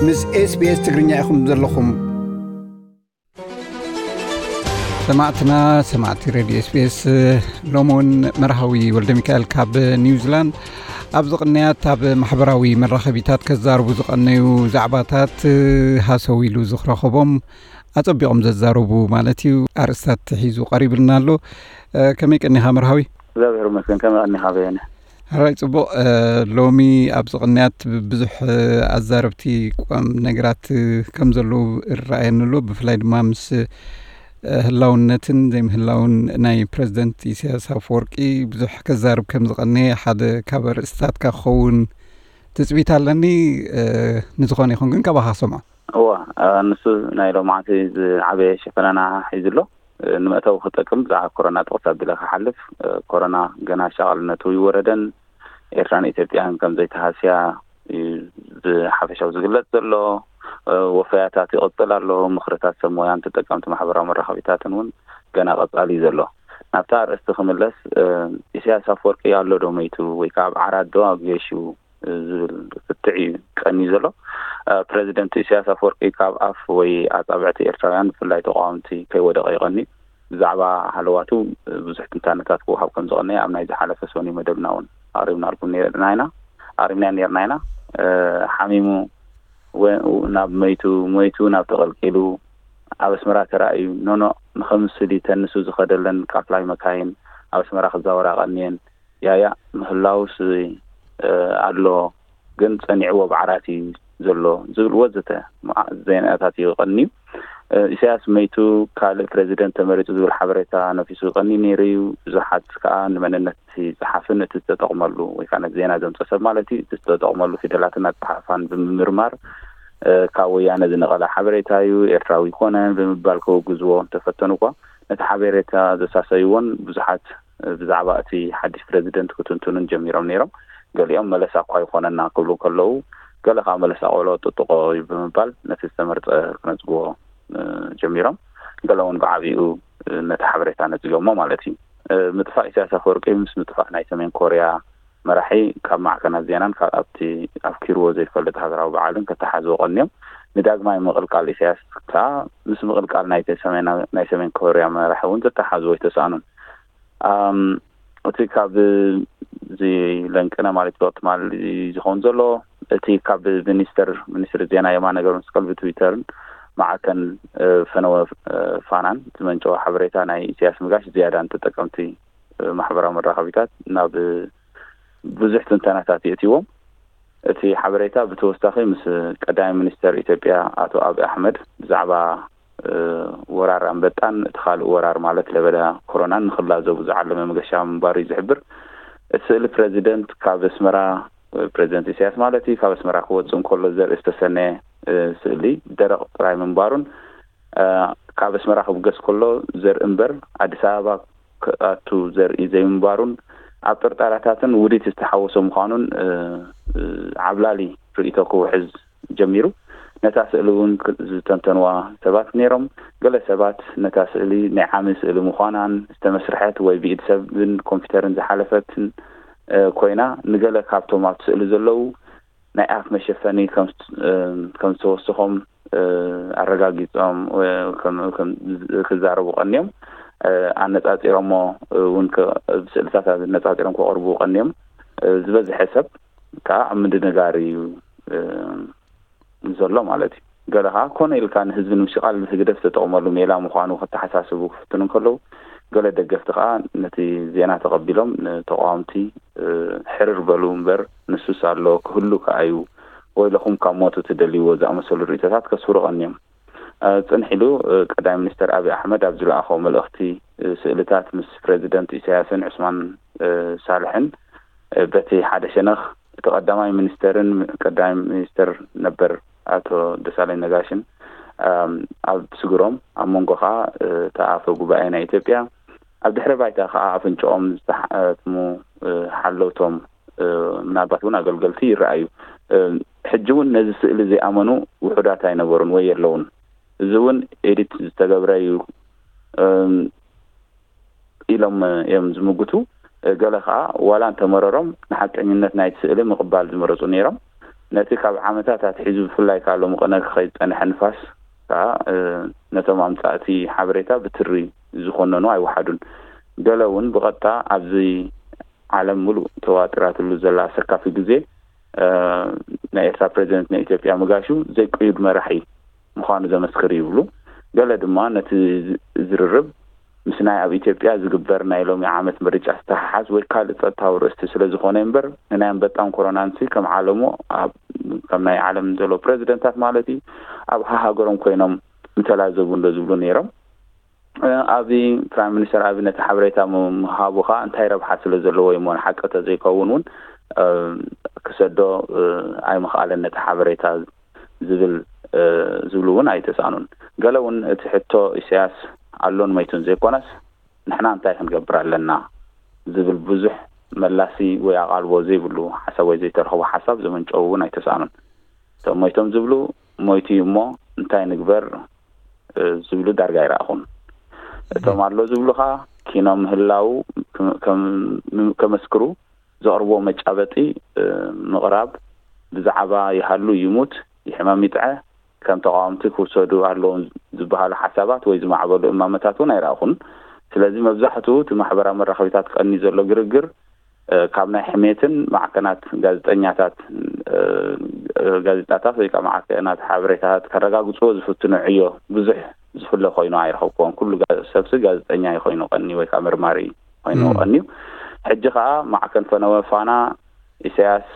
ምስ SBS ትግርኛ ኢኹም ዘለኹም። ሰማዕትና፣ ሰማዕቲ ሬድዮ SBS፣ ሎሚ እውን መርሃዊ ወልደ ሚካኤል ካብ ኒውዚላንድ ኣብዚ ቅንያት ኣብ ማሕበራዊ መራኸቢታት ከዛርቡ ዝቐነዩ ዛዕባታት ሃሰው ኢሉ ዝረኸቦም ኣጸቢቖም ዘዛርቡ ማለት እዩ ኣርእስታት ሒዙ ቀሪብልና ኣሎ። ከመይ ቀኒኻ መርሃዊ? እግዚኣብሔር ይመስገን። ከመይ ቀኒኻ በየነ? ሕራይ ጽቡቕ። ሎሚ ኣብዚ ቅንያት ብዙሕ ኣዛረብቲ ቁም ነገራት ከም ዘለዉ ይረኣየኒ ኣሎ። ብፍላይ ድማ ምስ ህላውነትን ዘይምህላውን ናይ ፕረዚደንት ኢሳያስ ኣፈወርቂ ብዙሕ ከዛርብ ከም ዝቐነየ ሓደ ካብ ኣርእስታትካ ክኸውን ትጽቢት ኣለኒ። ንዝኾነ ይኹን ግን ካባኻ ክሰምዖ። እዋ፣ ንሱ ናይ ሎማዓንቲ ዝዓበየ ሸፈናና ሒዙ ኣሎ። ንመእተዊ ክጠቅም ብዛዕባ ኮሮና ጥቕስ ኣቢለ ክሓልፍ፣ ኮሮና ገና ሻቐልነቱ ይወረደን ኤርትራን ኢትዮጵያን ከም ዘይተሃስያ እዩ ብሓፈሻዊ ዝግለጽ ዘሎ። ወፈያታት ይቕጽል ኣሎ። ምኽርታት ሰብ ሞያን ተጠቀምቲ ማሕበራዊ መራኸቢታትን እውን ገና ቀጻሊ እዩ ዘሎ። ናብታ ኣርእስቲ ክምለስ፣ ኢሳያስ ኣፈወርቂ ኣሎ ዶ መይቱ ወይ ከዓ ኣብ ዓራት ዶ ኣብ ጌሽ እዩ ዝብል ፍትሕ እዩ ቀንዩ ዘሎ። ፕረዚደንት ኢሳያስ ኣፈወርቂ ካብ ኣፍ ወይ ኣጻብዕቲ ኤርትራውያን ብፍላይ ተቃወምቲ ከይወደቐ ይቐንዩ። ብዛዕባ ሃለዋቱ ብዙሕ ትንታነታት ክወሃብ ከም ዝቐነየ ኣብ ናይ ዝሓለፈ ሰኑይ መደብና እውን ኣቕሪብናልኩም ነርና ኢና ኣቕሪብና ነርና ኢና። ሓሚሙ ናብ መይቱ፣ መይቱ ናብ ተቐልቂሉ ኣብ ኣስመራ ተራእዩ ኖኖ ንኸምስል እዩ ተንሱ ዝኸደለን ቃፍላይ መካይን ኣብ ኣስመራ ክዛወራ ቀንየን። ያያ ምህላውስ ኣሎ ግን ጸኒዕዎ ብዓራት እዩ ዘሎ ዝብል ወዘተ ዜናታት እዩ ቀንዩ። ኢሳያስ መይቱ ካልእ ፕረዚደንት ተመሪጹ ዝብል ሓበሬታ ነፊሱ ቀንዩ ነይሩ እዩ። ብዙሓት ከዓ ንመንነት እቲ ጸሓፍን እቲ ዝተጠቕመሉ ወይ ከዓ ነቲ ዜና ዘምጸ ሰብ ማለት እዩ እቲ ዝተጠቕመሉ ፊደላትን ኣጸሓሕፋን ብምምርማር ካብ ወያነ ዝነቐለ ሓበሬታ እዩ፣ ኤርትራዊ ይኮነ ብምባል ከወግዝዎ እንተፈተኑ እኳ ነቲ ሓበሬታ ዘሳሰይዎን ብዙሓት ብዛዕባ እቲ ሓድሽ ፕረዚደንት ክትንትኑን ጀሚሮም ነይሮም። ገሊኦም መለሳ እኳ ይኾነና ክብሉ ከለዉ ገለ ከዓ መለሳ ቆሎ ጥጥቆ እዩ ብምባል ነቲ ዝተመርጸ ክነጽግዎ ጀሚሮም። ገለ እውን ብዓቢኡ ነቲ ሓበሬታ ነጺጎሞ ማለት እዩ። ምጥፋእ ኢሳያስ ኣፈወርቂ ምስ ምጥፋእ ናይ ሰሜን ኮርያ መራሒ ካብ ማዕከናት ዜናን ካብ ኣብቲ ኣፍኪርዎ ዘይፈልጥ ሃገራዊ በዓልን ከተሓዝዎ ቀንዮም። ንዳግማይ ምቕልቃል ኢሳያስ ከኣ ምስ ምቕልቃል ናይ ሰሜን ኮርያ መራሒ እውን ዘተሓዝዎ ኣይተሳእኑን። እቲ ካብ እዚ ለንቅነ ማለት ዶ ትማሊ ዝኸውን ዘሎ እቲ ካብ ሚኒስተር ሚኒስትሪ ዜና የማነ ገብረመስቀል ብትዊተርን ማዕከን ፈነወ ፋናን ዝመንጨወ ሓበሬታ ናይ ኢሳያስ ምጋሽ ዝያዳ ንተጠቀምቲ ማሕበራዊ መራኸቢታት ናብ ብዙሕ ትንተናታት የእትዎም። እቲ ሓበሬታ ብተወሳኺ ምስ ቀዳማይ ሚኒስተር ኢትዮጵያ ኣቶ ኣብይ ኣሕመድ ብዛዕባ ወራር ኣንበጣን እቲ ካልእ ወራር ማለት ለበዳ ኮሮናን ንክላዘቡ ዝዓለመ መገሻ ምንባሩ እዩ ዝሕብር። እቲ ስእሊ ፕረዚደንት ካብ ኣስመራ ፕረዚደንት ኢሳያስ ማለት እዩ ካብ ኣስመራ ክወፅእ እንከሎ ዘርኢ ዝተሰነየ ስእሊ ደረቕ ጥራይ ምንባሩን ካብ ኣስመራ ክብገስ ከሎ ዘርኢ እምበር ኣዲስ ኣበባ ክኣቱ ዘርኢ ዘይምንባሩን ኣብ ጥርጣረታትን ውዲት ዝተሓወሶ ምዃኑን ዓብላሊ ርእይቶ ክውሕዝ ጀሚሩ። ነታ ስእሊ እውን ዝተንተንዋ ሰባት ነይሮም። ገለ ሰባት ነታ ስእሊ ናይ ዓሚ ስእሊ ምዃናን ዝተመስርሐት ወይ ብኢድ ሰብን ኮምፒተርን ዝሓለፈትን ኮይና ንገለ ካብቶም ኣብቲ ስእሊ ዘለዉ ናይ ኣፍ መሸፈኒ ከም ዝተወስኾም ኣረጋጊጾም ክዛረቡ ቀንዮም። ኣነጻጺሮሞ እውን ብስእልታት ኣነጻጺሮም ከቕርቡ ቀንዮም። ዝበዝሐ ሰብ ከዓ ኣብ ምድንጋር እዩ ዘሎ ማለት እዩ። ገለ ከዓ ኮነ ኢልካ ንህዝቢ ንምሽቓል ህግደፍ ዝተጠቕመሉ ሜላ ምዃኑ ከተሓሳስቡ ክፍትኑ እንከለዉ፣ ገለ ደገፍቲ ከዓ ነቲ ዜና ተቐቢሎም ንተቃወምቲ ሕርር በሉ እምበር ንሱስ ኣሎ ክህሉ ከዓ እዩ ወይለኹም ካብ ሞቱ ትደልይዎ ዝኣመሰሉ ርእይቶታት ከስፍሩ ቀንዮም። ጽንሕ ኢሉ ቀዳማይ ሚኒስተር ኣብይ ኣሕመድ ኣብ ዝለኣኾ መልእኽቲ ስእልታት ምስ ፕረዚደንት ኢሳያስን ዑስማን ሳልሕን በቲ ሓደ ሸነኽ እቲ ቀዳማይ ሚኒስተርን ቀዳማይ ሚኒስተር ነበር ኣቶ ደሳለኝ ነጋሽን ኣብ ስግሮም ኣብ መንጎ ከዓ እቲ ኣፈ ጉባኤ ናይ ኢትዮጵያ ኣብ ድሕሪ ባይታ ከዓ ኣፍንጭኦም ዝተሓትሙ ሓለውቶም ምናልባት እውን ኣገልገልቲ ይረኣዩ። ሕጂ እውን ነዚ ስእሊ ዘይኣመኑ ውሑዳት ኣይነበሩን ወይ የለውን። እዚ እውን ኤዲት ዝተገብረ እዩ ኢሎም እዮም ዝምጉቱ። ገለ ከዓ ዋላ እንተመረሮም ንሓቀኝነት ናይቲ ስእሊ ምቕባል ዝመረፁ ነይሮም። ነቲ ካብ ዓመታት ኣትሒዙ ብፍላይ ካብ ሎሚ ቅነ ክኸይድ ዝጸንሐ ንፋስ ከኣ ነቶም ኣምጻእቲ ሓበሬታ ብትሪ ዝኾነኑ ኣይወሓዱን። ገለ እውን ብቐጥታ ኣብዚ ዓለም ምሉእ ተዋጢራትሉ ዘላ ኣሰካፊ ግዜ ናይ ኤርትራ ፕሬዚደንት ንኢትዮጵያ ምጋሹ ዘይቅዩድ መራሒ ምዃኑ ዘመስክር ይብሉ። ገለ ድማ ነቲ ዝርርብ ምስ ናይ ኣብ ኢትዮጵያ ዝግበር ናይ ሎሚ ዓመት ምርጫ ዝተሓሓዝ ወይ ካልእ ጸጥታዊ ርእስቲ ስለ ዝኾነ እምበር ንናይ ኣንበጣን ኮሮናንሲ ከም ዓለሙ ከም ናይ ዓለም ዘሎ ፕሬዚደንታት ማለት እዩ ኣብ ሃሃገሮም ኮይኖም ምተላዘቡ እንዶ ዝብሉ ነይሮም። ኣብዚ ፕራይም ሚኒስተር ኣብ ነቲ ሓበሬታ ምሃቡ ከዓ እንታይ ረብሓ ስለ ዘለዎ እሞ ንሓቂ ተዘይከውን እውን ክሰዶ ኣይምኽኣለን ነቲ ሓበሬታ ዝብል ዝብሉ እውን ኣይተሳእኑን። ገለ እውን እቲ ሕቶ ኢሳያስ ኣሎን መይቱን ዘይኮነስ ንሕና እንታይ ክንገብር ኣለና ዝብል ብዙሕ መላሲ ወይ ኣቓልቦ ዘይብሉ ሓሳብ ወይ ዘይተረኽቦ ሓሳብ ዘመንጨው እውን ኣይተሳእኑን። እቶም ሞይቶም ዝብሉ ሞይቱ እዩ እሞ እንታይ ንግበር ዝብሉ ዳርጋ ኣይረኣኹን። እቶም ኣሎ ዝብሉ ከዓ ኪኖ ምህላው ከመስክሩ ዘቕርቦ መጫበጢ ምቕራብ ብዛዕባ ይሃሉ ይሙት ይሕመም ይጥዐ ከም ተቃወምቲ ክውሰዱ ኣለዎም ዝበሃሉ ሓሳባት ወይ ዝማዕበሉ እማመታት እውን ኣይረኣኹን። ስለዚ መብዛሕትኡ እቲ ማሕበራዊ መራኸቢታት ቀኒ ዘሎ ግርግር ካብ ናይ ሕሜትን ማዕከናት ጋዜጠኛታት ጋዜጣታት ወይ ከዓ ማዕከናት ሓበሬታታት ከረጋግፅዎ ዝፍትኑ ዕዮ ብዙሕ ዝፍለ ኮይኑ ኣይረኸብክዎን። ኩሉ ሰብሲ ጋዜጠኛ እዩ ኮይኑ ቀኒ ወይ ከዓ መርማሪ ኮይኑ ቀንዩ። ሕጂ ከዓ ማዕከን ፈነወ ፋና ኢሳያስ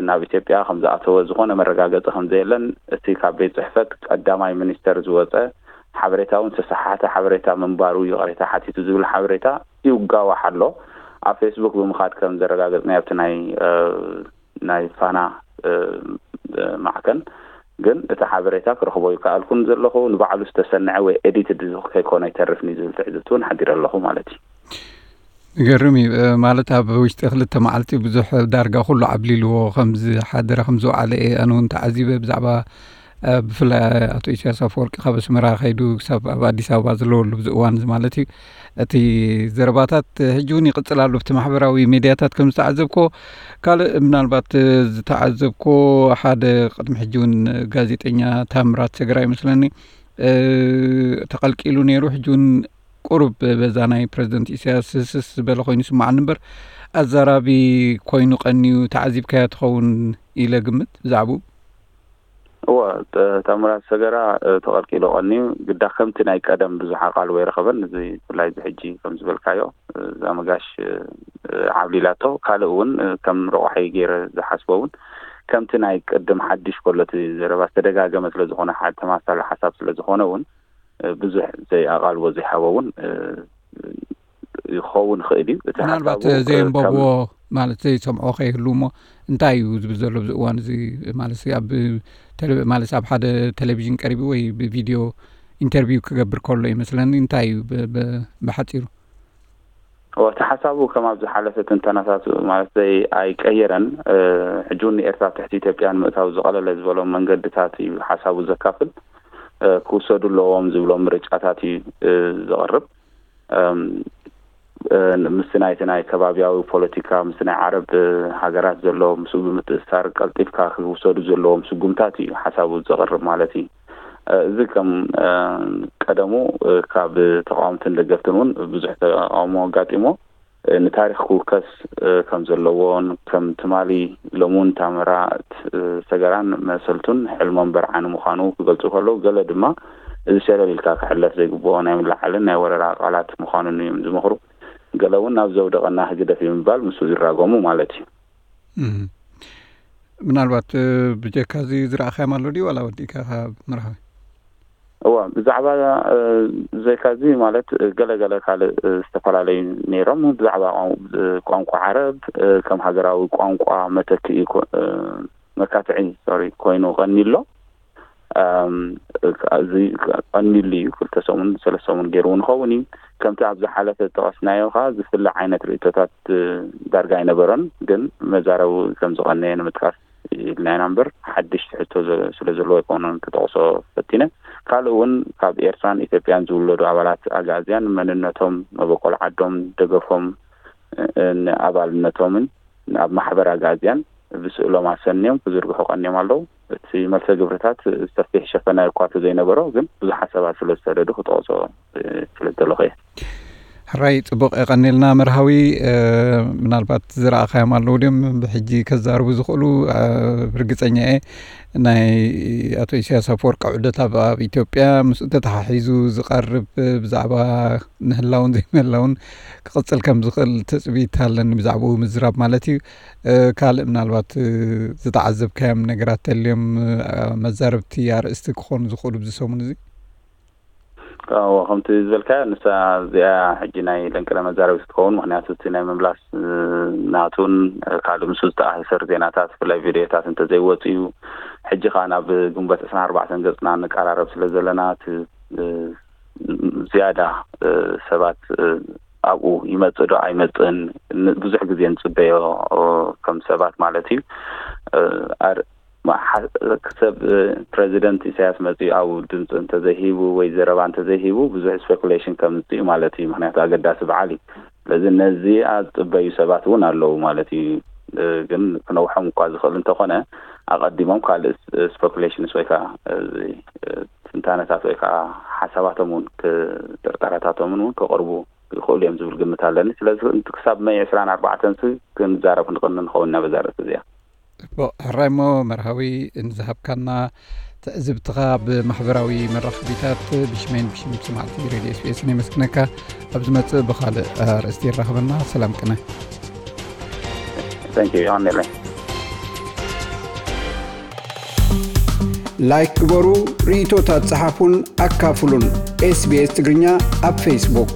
ናብ ኢትዮጵያ ከም ዝኣተወ ዝኾነ መረጋገፂ ከም ዘየለን እቲ ካብ ቤት ፅሕፈት ቀዳማይ ሚኒስተር ዝወፀ ሓበሬታ እውን ዝተሰሓሓተ ሓበሬታ ምንባሩ ይቕሬታ ሓቲቱ ዝብል ሓበሬታ ይጋዋሕ ኣሎ። ኣብ ፌስቡክ ብምኻድ ከም ዘረጋገፅናዮ ኣብቲ ናይ ናይ ፋና ማዕከን ግን እቲ ሓበሬታ ክረኽቦ ይከኣልኩን ዘለኹ ንባዕሉ ዝተሰንዐ ወይ ኤዲትድ ከይኮነ ኣይተርፍን እዩ ዝብል ትዕዝብቲ እውን ሓዲረ ኣለኹ ማለት እዩ። ዝገርም እዩ። ማለት ኣብ ውሽጢ ክልተ መዓልቲ ብዙሕ ዳርጋ ኩሉ ዓብሊልዎ ከም ዝሓደረ ከም ዝወዓለ እየ ኣነ እውን ተዓዚበ። ብዛዕባ ብፍላይ ኣቶ ኢሳያስ ኣፈወርቂ ካብ ኣስመራ ከይዱ ክሳብ ኣብ ኣዲስ ኣበባ ዘለወሉ ብዚ እዋን እዚ ማለት እዩ እቲ ዘረባታት ሕጂ እውን ይቕፅል ኣሎ። ብቲ ማሕበራዊ ሜድያታት ከም ዝተዓዘብኮ ካልእ ምናልባት ዝተዓዘብኮ ሓደ ቅድሚ ሕጂ እውን ጋዜጠኛ ታምራት ሰገራ ይመስለኒ ተቐልቂሉ ነይሩ። ሕጂ እውን ቁሩብ በዛ ናይ ፕረዚደንት ኢሳያስ ህስስ ዝበለ ኮይኑ ይስምዓኒ እምበር ኣዛራቢ ኮይኑ ቀንዩ ተዓዚብካዮ ትኸውን ኢለ ግምት ብዛዕባኡ። እወ፣ ታምራት ሰገራ ተቐልቂሉ ቀንዩ ግዳ ከምቲ ናይ ቀደም ብዙሕ ኣቓልቦ ኣይረኸበን። እዚ ብፍላይ እዚ ሕጂ ከም ዝበልካዮ እዛ መጋሽ ዓብሊላቶ ካልእ እውን ከም ረቋሒ ገይረ ዝሓስቦ እውን ከምቲ ናይ ቅድም ሓድሽ ከሎ እቲ ዘረባ ዝተደጋገመ ስለ ዝኾነ ሓደ ተማሳሊ ሓሳብ ስለ ዝኾነ እውን ብዙሕ ዘይኣቓልቦ ዘይሃቦ እውን ይኸውን ይኽእል እዩ። እቲ ምናልባት ሓሳቡ፣ እ፣ ዘየንበብዎ ከም ማለት ዘይሰምዖ ከይህሉ እሞ እንታይ እዩ ዝብል ዘሎ ብዚ እዋን እዚ ማለት ኣብ ቴሌ- ማለት ኣብ ሓደ ቴሌቪዥን ቀሪቡ ወይ ብቪድዮ ኢንተርቪው ክገብር ከሎ ይመስለኒ እንታይ እዩ ብ- ብ- ብሓፂሩ እቲ ሓሳቡ ከም ኣብ ዝሓለፈ ትንተናታት ማለት ዘይ ኣይቀየረን። ሕጂ እውን ንኤርትራ ትሕቲ ኢትዮጵያ ንምእታው ዝቐለለ ዝበሎም መንገድታት እዩ ሓሳቡ ዘካፍል። ክውሰዱ ኣለዎም ዝብሎም ምርጫታት እዩ ዘቕርብ። ምስቲ ናይቲ ናይ ከባቢያዊ ፖለቲካ ምስቲ ናይ ዓረብ ሃገራት ዘሎ ምስኡ ብምትእስሳር ቀልጢፍካ ክውሰዱ ዘለዎም ስጉምታት እዩ ሓሳቡ ዘቕርብ ማለት እዩ። እዚ ከም ቀደሙ ካብ ተቃወምትን ደገፍትን እውን ብዙሕ ተቃውሞ ኣጋጢሞ። ንታሪኽ ክውከስ ከም ዘለዎን ከም ትማሊ ሎም እውን ታምራት ሰገራን መሰልቱን ሕልሞም በርዓኒ ምዃኑ ክገልፁ ከለዉ፣ ገለ ድማ እዚ ሸለል ኢልካ ክሕለፍ ዘይግብኦ ናይ ምልዓልን ናይ ወረራ ቃላት ምዃኑን እዮም ዝመኽሩ። ገለ እውን ናብ ዘውደቐና ህግደፍ እዩ ምባል ምስኡ ዝራጎሙ ማለት እዩ። ምናልባት ብጀካ እዚ ዝረኣኻዮም ኣሎ ድዩ ዋላ ወዲእካ ካብ መርሃዊ? እዋ ብዛዕባ ዘካዚ ማለት ገለገለ ካልእ ዝተፈላለዩ ነይሮም። ብዛዕባ ቋንቋ ዓረብ ከም ሃገራዊ ቋንቋ መተክኢ መካትዒ ሶሪ ኮይኑ ቀኒ ኣሎ። እዚ ቀኒሉ እዩ። ክልተ ሰሙን ሰለስተ ሰሙን ገይሩ እውን ኸውን እዩ። ከምቲ ኣብ ዝሓለፈ ዝጠቐስናዮ ከዓ ዝፍለ ዓይነት ርእቶታት ዳርጋ ኣይነበሮን። ግን መዛረቡ ከም ዝቐነየ ንምጥቃስ ኢልና ኢና እምበር ሓድሽ ትሕዝቶ ስለ ዘለዎ ኣይኮነን ክጠቕሶ ፈቲነ። ካልእ እውን ካብ ኤርትራን ኢትዮጵያን ዝውለዱ ኣባላት ኣግኣዝያን መንነቶም፣ መበቆል ዓዶም፣ ደገፎም፣ ንኣባልነቶምን ኣብ ማሕበር ኣግኣዝያን ብስእሎም ኣሰንዮም ክዝርግሑ ቀንዮም ኣለዉ። እቲ መልሰ ግብርታት ሰፊሕ ሸፈና እኳ ዘይነበሮ፣ ግን ብዙሓት ሰባት ስለ ዝሰደዱ ክጠቕሶ ስለ ዝደለኹ እየ። ሕራይ፣ ጽቡቕ፣ የቐኒልና መርሃዊ። ምናልባት ዝረኣኻዮም ኣለዉ ድዮም ብሕጂ ከዛርቡ ዝኽእሉ? ርግጸኛ እየ ናይ ኣቶ ኢሳያስ ኣፈወርቂ ዑደት ኣብ ኢትዮጵያ ምስኡ ተተሓሒዙ ዝቐርብ ብዛዕባ ምህላውን ዘይምህላውን ክቕጽል ከም ዝኽእል ትጽቢት ኣለኒ፣ ብዛዕባኡ ምዝራብ ማለት እዩ። ካልእ ምናልባት ዝተዓዘብካዮም ነገራት ተልዮም፣ መዛረብቲ ኣርእስቲ ክኾኑ ዝኽእሉ ብዚ ሰሙን እዚ? ከምቲ ዝበልካዮ፣ ንሳ እዚኣ ሕጂ ናይ ለንቅነ መዛረቢት ክትከውን፣ ምክንያቱ እቲ ናይ ምምላስ ናቱን ካልእ ምስ ዝተኣሳሰር ዜናታት፣ ብፍላይ ቪድዮታት እንተዘይወፅኡ፣ ሕጂ ከዓ ናብ ግንቦት ዕስራን ኣርባዕተን ገፅና ንቀራረብ ስለ ዘለና፣ እቲ ዝያዳ ሰባት ኣብኡ ይመፅእ ዶ ኣይመፅእን ብዙሕ ግዜ ንፅበዮ፣ ከም ሰባት ማለት እዩ። ሰብ ፕረዚደንት ኢሳያስ መፅኡ ኣብኡ ድምፂ እንተዘይሂቡ ወይ ዘረባ እንተዘይሂቡ ብዙሕ ስፔኩሌሽን ከምፅእ እዩ ማለት እዩ። ምክንያቱ ኣገዳሲ በዓል እዩ። ስለዚ ነዚ ዝፅበዩ ሰባት እውን ኣለዉ ማለት እዩ። ግን ክነውሖም እኳ ዝኽእል እንተኾነ፣ ኣቐዲሞም ካልእ ስፔኩሌሽንስ ወይ ከዓ ትንታነታት ወይ ከዓ ሓሳባቶም እውን፣ ጥርጠራታቶም እውን ክቕርቡ ይኽእሉ እዮም ዝብል ግምት ኣለኒ። ስለዚ ክሳብ መይ ዕስራን ኣርባዕተን ክንዛረብ ክንቕኒ ንኸውን ኢና በዛ ርእሲ እዚኣ። ሕራይ እሞ መርሃዊ፣ ንዝሃብካና ትዕዝብትኻ ብማሕበራዊ መራኸቢታት ብሽመይን ብሽም ሰማዕቲ ሬድዮ ኤስቢኤስን የመስግነካ። ኣብ ዝመጽእ ብኻልእ ኣርእስቲ ይራኸበና። ሰላም ቅነ። Thank you፣ ይቐንየለይ። ላይክ ግበሩ፣ ርእይቶታት ጸሓፉን ኣካፍሉን። ኤስቢኤስ ትግርኛ ኣብ ፌስቡክ።